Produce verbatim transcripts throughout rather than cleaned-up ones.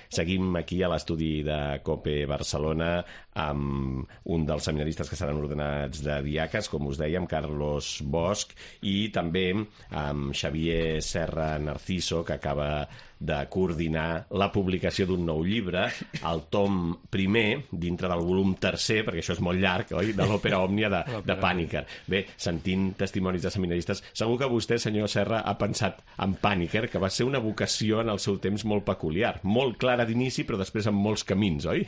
Seguim aquí a l'estudi de COPE Barcelona amb un dels seminaristes que seran ordenats de diaques, com us dèiem, Carlos Bosch, i també amb Xavier Serra Narciso, que acaba de coordinar la publicació d'un nou llibre, el tom primer, dintre del volum tercer, perquè això és molt llarg, oi?, de l'òpera òmnia de, de Pàniker. Bé, sentint testimonis de seminaristes, segur que vostè, senyor Serra, ha pensat en Pàniker, que va ser una vocació en el seu temps molt peculiar, molt clara d'inici, però després amb molts camins, oi?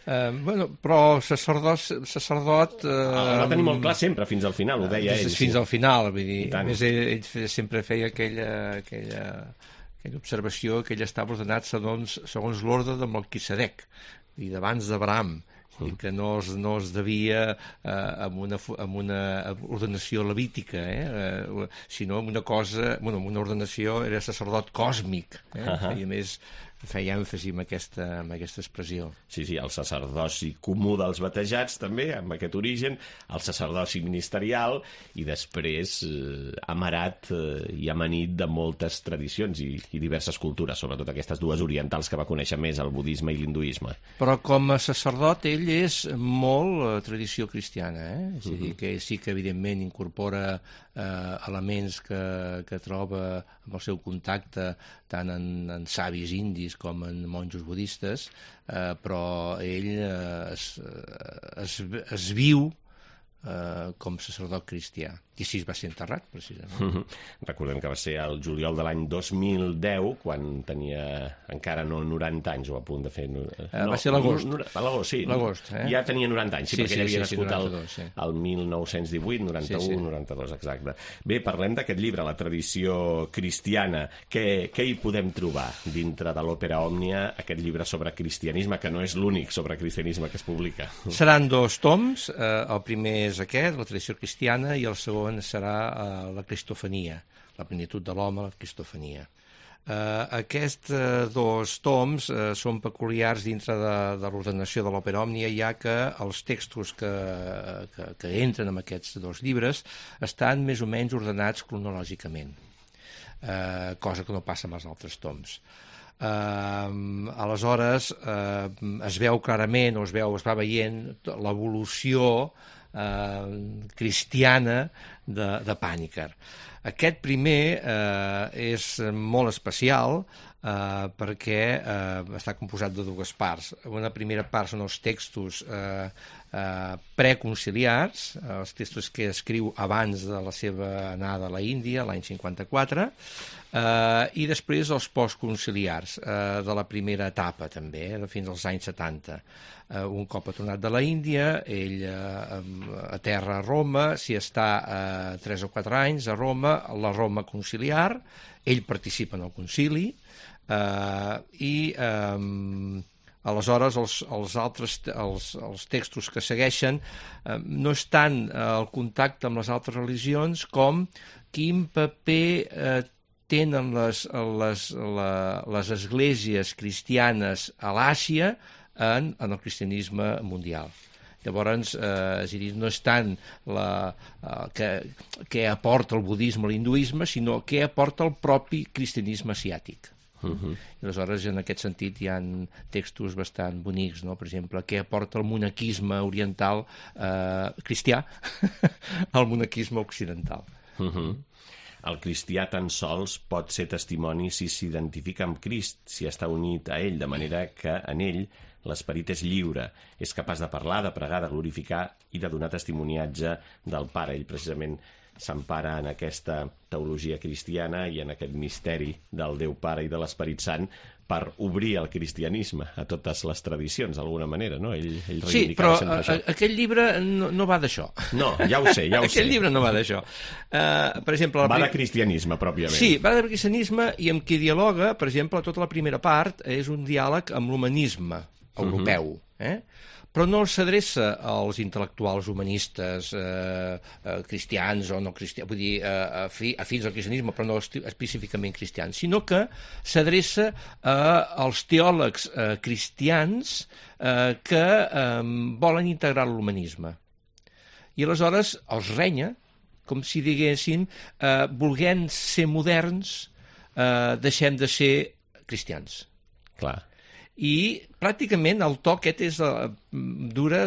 Uh, bueno, però sacerdot... sacerdot uh, el va tenir molt clar sempre, fins al final, ho deia ell. Fins sí. al final, vull dir. A més, ell, ell sempre feia aquella... aquella... aquella observació que ell estava ordenat segons, segons l'ordre de Melquisedec i d'abans d'Abraham, i que no es, no es devia eh, amb, una, amb una ordenació levítica, eh, eh, sinó amb una cosa, bueno, amb una ordenació, era sacerdot còsmic, eh, uh -huh. i a més feia èmfasi en aquesta, en aquesta expressió. Sí, sí, el sacerdoci comú dels batejats també, amb aquest origen, el sacerdoci ministerial i després eh, amarat eh, i amanit de moltes tradicions i, i diverses cultures, sobretot aquestes dues orientals que va conèixer més, el budisme i l'hinduisme. Però com a sacerdot ell és molt eh, tradició cristiana, eh? És a dir, que sí que evidentment incorpora eh, elements que, que troba amb el seu contacte tant en, en savis indis com en monjos budistes, eh, però ell eh, es, es, es viu eh, com sacerdot cristià. I així va ser enterrat, precisament. Mm-hmm. Recordem que va ser el juliol de l'any dos mil deu, quan tenia encara no noranta anys, o a punt de fer... No, eh, va ser l'agost. No, a l'agost, sí. L'agost, eh? Ja tenia noranta anys, sí, sí perquè sí, ell havia sí, nascut sí, noranta-dos, sí. el mil nou-cents divuit, noranta-u, sí, sí. noranta-dos, exacte. Bé, parlem d'aquest llibre, La tradició cristiana. Què, què hi podem trobar dintre de l'òpera òmnia, aquest llibre sobre cristianisme, que no és l'únic sobre cristianisme que es publica? Seran dos toms. Eh, el primer és aquest, La tradició cristiana, i el segon serà la cristofania, la plenitud de l'home, la cristofania. Uh, aquests uh, dos toms uh, són peculiars dintre de, de l'ordenació de l'òpera òmnia, ja que els textos que, que, que entren en aquests dos llibres estan més o menys ordenats cronològicament, uh, cosa que no passa amb els altres toms. Uh, aleshores uh, es veu clarament, o es veu, es va veient l'evolució Uh, cristiana de, de Pàniker. Aquest primer uh, és molt especial uh, perquè uh, està composat de dues parts. Una primera part són els textos uh, uh, preconciliars, uh, els textos que escriu abans de la seva anada a la Índia, l'any cinquanta-quatre, uh, i després els postconciliars uh, de la primera etapa també, eh, fins als anys setanta. Uh, un cop ha tornat de la Índia, ell uh, aterra a Roma, s'hi està uh, tres o quatre anys a Roma, la Roma conciliar, ell participa en el concili, uh, i um, aleshores els, els altres els, els textos que segueixen uh, no estan uh, al contacte amb les altres religions com quin paper uh, tenen les, les, la, les esglésies cristianes a l'Àsia En, en el cristianisme mundial. Llavors, eh, és a dir, no és tant la, eh, que, què aporta el budisme o l'hinduisme, sinó què aporta el propi cristianisme asiàtic. Uh-huh. I aleshores, en aquest sentit, hi ha textos bastant bonics, no? Per exemple, què aporta el monaquisme oriental eh, cristià al monaquisme occidental. Uh-huh. El cristià tan sols pot ser testimoni si s'identifica amb Crist, si està unit a ell, de manera que en ell l'esperit és lliure, és capaç de parlar, de pregar, de glorificar i de donar testimoniatge del Pare. Ell precisament s'empara en aquesta teologia cristiana i en aquest misteri del Déu Pare i de l'Esperit Sant per obrir el cristianisme a totes les tradicions, d'alguna manera, no? Ell, ell sí, però a, a, aquest llibre no, no va d'això. No, ja ho sé, ja ho sé. Aquest llibre no va d'això. Uh, per exemple... Va de cristianisme, pròpiament. Sí, va de cristianisme i amb qui dialoga, per exemple, tota la primera part és un diàleg amb l'humanisme europeu, uh-huh. eh? Però no s'adreça als intel·lectuals humanistes eh, eh, cristians o no cristians, vull dir, eh, afi, afins al cristianisme, però no específicament cristians, sinó que s'adreça eh, als teòlegs eh, cristians eh, que eh, volen integrar l'humanisme. I aleshores els renya, com si diguessin, eh, volent ser moderns, eh, deixem de ser cristians. Clar. i pràcticament el to aquest és, uh, dura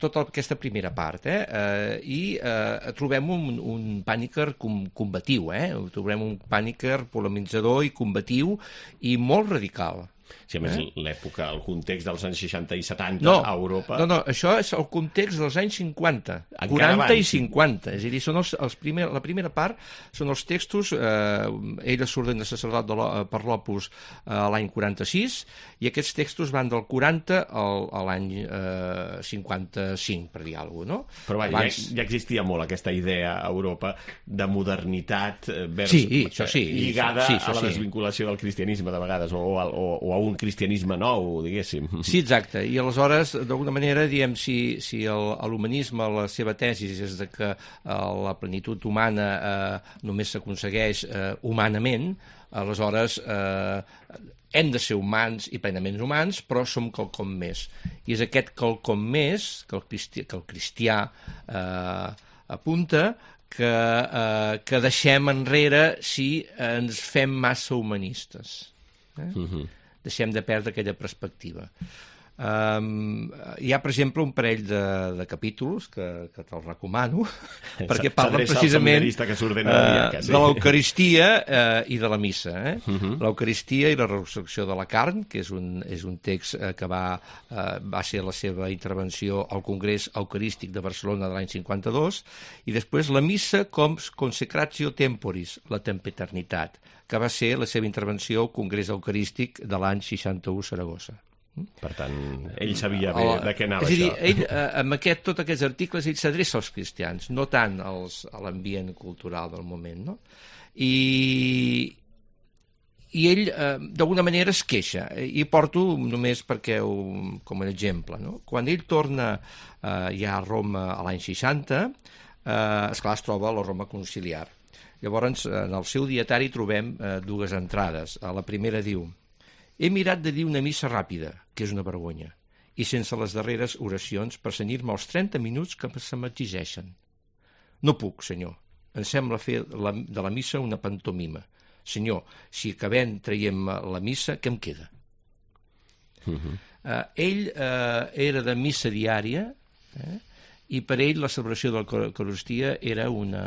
tota aquesta primera part, eh? Uh, i uh, trobem un, un Pàniker com, combatiu, eh? Trobem un Pàniker polemitzador i combatiu i molt radical. Sí, a més, eh? l'època, el context dels anys seixanta i setanta no, a Europa... No, no, això és el context dels anys cinquanta, Encara quaranta abans. I cinquanta. És a dir, són els, els primer, la primera part són els textos, eh, ell s'ordena sacerdot de, per l'Opus eh, l'any quaranta-sis, i aquests textos van del quaranta al, a l'any eh, cinquanta-cinc, per dir alguna cosa, no? Però va, Abans... ja, ja existia molt aquesta idea a Europa de modernitat vers, sí, això sí, lligada sí, això a la sí. desvinculació del cristianisme, de vegades, o, o, o a un cristianisme nou, diguéssim. Sí, exacte. I aleshores, d'alguna manera, diem, si, si l'humanisme, la seva tesi és de que eh, la plenitud humana eh, només s'aconsegueix eh, humanament, aleshores eh, hem de ser humans i plenament humans, però som quelcom més. I és aquest quelcom més que el cristià, que el cristià eh, apunta que, eh, que deixem enrere si ens fem massa humanistes. Eh? Uh-huh. Deixem de perdre aquella perspectiva. Um, hi ha, per exemple, un parell de, de capítols que, que te'ls recomano, perquè parlen precisament que uh, sí. de l'Eucaristia uh, i de la missa. Eh? Uh-huh. L'Eucaristia i la resurrecció de la carn, que és un, és un text uh, que va, uh, va ser la seva intervenció al Congrés Eucarístic de Barcelona de l'any cinquanta-dos, i després la missa com consecratio temporis, la tempeternitat, que va ser la seva intervenció al Congrés Eucarístic de l'any seixanta-u a Saragossa. Per tant, ell sabia bé de què anava és a dir, això. Ell, eh, amb aquest, tots aquests articles, ell s'adreça als cristians, no tant als, a l'ambient cultural del moment, no? I, i ell, eh, d'alguna manera, es queixa. I porto només perquè, ho, com un exemple, no? Quan ell torna eh, ja a Roma a l'any seixanta, eh, esclar, es troba a la Roma conciliar. Llavors, en el seu dietari trobem eh, dues entrades. La primera diu: he mirat de dir una missa ràpida, que és una vergonya, i sense les darreres oracions per cenyir-me els trenta minuts que se m'exigeixen. No puc, senyor. Em sembla fer la, de la missa una pantomima. Senyor, si acabem traiem la missa, què em queda? Uh-huh. Uh, ell uh, era de missa diària, eh? I per ell la celebració de l'Eucaristia era una...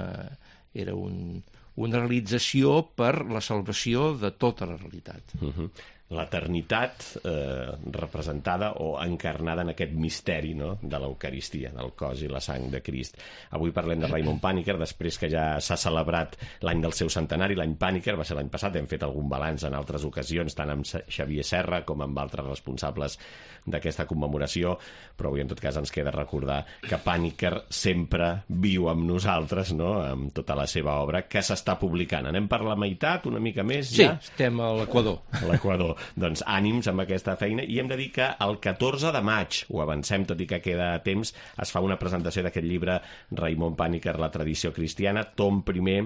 era un, una realització per la salvació de tota la realitat. Uh-huh. L'eternitat eh, representada o encarnada en aquest misteri, no?, de l'Eucaristia, del cos i la sang de Crist. Avui parlem de Raimon Pàniker, després que ja s'ha celebrat l'any del seu centenari, l'any Pàniker, va ser l'any passat, hem fet algun balanç en altres ocasions, tant amb Xavier Serra com amb altres responsables d'aquesta commemoració, però avui en tot cas ens queda recordar que Pàniker sempre viu amb nosaltres, no?, amb tota la seva obra, que s'està publicant. Anem per la meitat, una mica més, ja? Sí, estem a l'Equador. A l'Equador. Doncs ànims amb aquesta feina, i hem de dir que el catorze de maig, ho avancem tot i que queda temps, es fa una presentació d'aquest llibre Raimon Pàniker, la tradició cristiana, tom primer,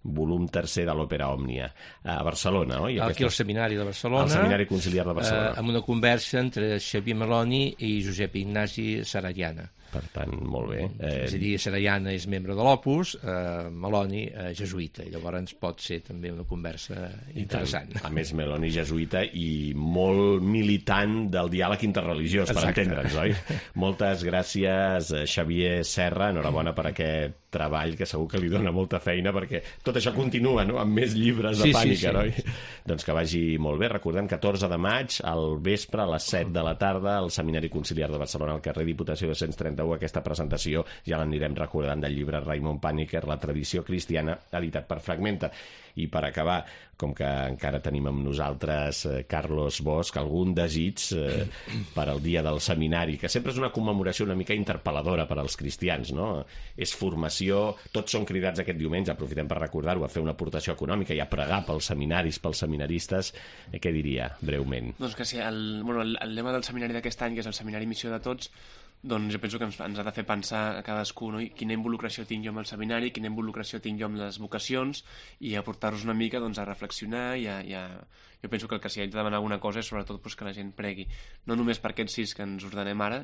volum tercer de l'Òpera Òmnia, a Barcelona, oi? Aquí aquesta... al Seminari de Barcelona. Al Seminari Conciliar de Barcelona. Eh, amb una conversa entre Xavier Meloni i Josep Ignasi Sarayana. Per tant, molt bé. Eh... És a dir, Sarayana és membre de l'Opus, eh, Meloni eh, jesuïta, i llavors pot ser també una conversa interessant. A més, Meloni jesuïta i molt militant del diàleg interreligiós, per Exacte. entendre'ns, oi? Moltes gràcies, Xavier Serra, enhorabona per aquest treball, que segur que li dona molta feina, perquè tot això continua, no?, amb més llibres de sí, Pàniker, sí, sí. oi? Doncs que vagi molt bé. Recordem, catorze de maig, al vespre, a les set de la tarda, al Seminari Conciliar de Barcelona, al carrer Diputació dos-cents trenta-u, aquesta presentació, ja l'anirem recordant, del llibre Raimon Pàniker, la tradició cristiana, editat per Fragmenta. I per acabar, com que encara tenim amb nosaltres eh, Carlos Bosch, algun desig eh, per al dia del seminari, que sempre és una commemoració una mica interpel·ladora per als cristians, no? És formació, tots són cridats aquest diumenge, aprofitem per recordar-ho, a fer una aportació econòmica i a pregar pels seminaris, pels seminaristes. Eh, què diria, breument? Doncs que sí, el, bueno, el, el lema del seminari d'aquest any, que és el Seminari Missió de Tots, doncs jo penso que ens, ens ha de fer pensar a cadascú, no? I quina involucració tinc jo amb el seminari, quina involucració tinc jo amb les vocacions, i aportar-los una mica doncs, a reflexionar i a, i a... Jo penso que el que s'hi ha de demanar alguna cosa és sobretot doncs, que la gent pregui, no només per aquests sis que ens ordenem ara,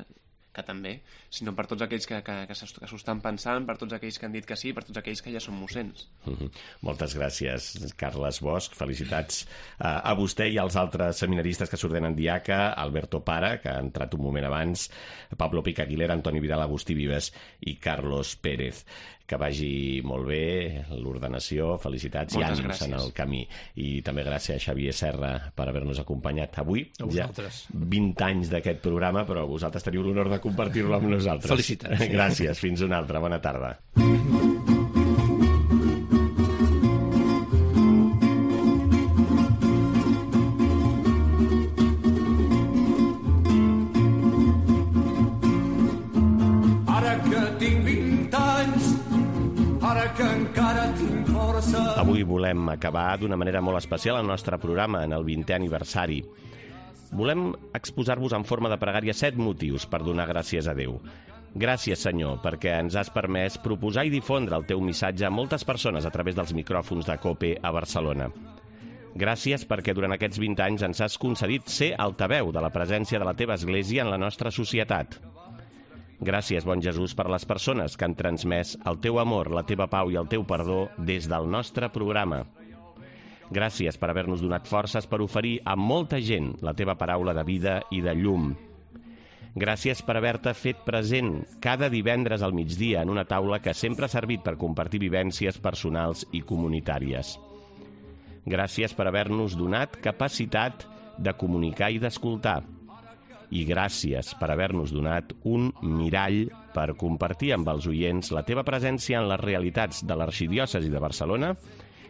que també, sinó per tots aquells que, que, que s'ho estan pensant, per tots aquells que han dit que sí, per tots aquells que ja són mossens. Mm-hmm. Moltes gràcies, Carles Bosch. Felicitats a, a vostè i als altres seminaristes que s'ordenen diaca, Alberto Para, que ha entrat un moment abans, Pablo Pica Aguilera, Antoni Vidal, Agustí Vives i Carlos Pérez. Que vagi molt bé l'ordenació, felicitats i ànims gràcies. En el camí. I també gràcies a Xavier Serra per haver-nos acompanyat avui. Ja vint anys d'aquest programa, però vosaltres teniu l'honor de compartir-lo amb nosaltres. Felicitats. Gràcies, fins una altra. Bona tarda. Avui volem acabar d'una manera molt especial el nostre programa en el vintè aniversari. Volem exposar-vos en forma de pregària set motius per donar gràcies a Déu. Gràcies, Senyor, perquè ens has permès proposar i difondre el teu missatge a moltes persones a través dels micròfons de COPE a Barcelona. Gràcies perquè durant aquests vint anys ens has concedit ser altaveu de la presència de la teva Església en la nostra societat. Gràcies, bon Jesús, per les persones que han transmès el teu amor, la teva pau i el teu perdó des del nostre programa. Gràcies per haver-nos donat forces per oferir a molta gent la teva paraula de vida i de llum. Gràcies per haver-te fet present cada divendres al migdia en una taula que sempre ha servit per compartir vivències personals i comunitàries. Gràcies per haver-nos donat capacitat de comunicar i d'escoltar. I gràcies per haver-nos donat un mirall per compartir amb els oients la teva presència en les realitats de l'Arxidiòcesi de Barcelona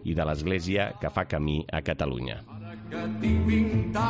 i de l'Església que fa camí a Catalunya.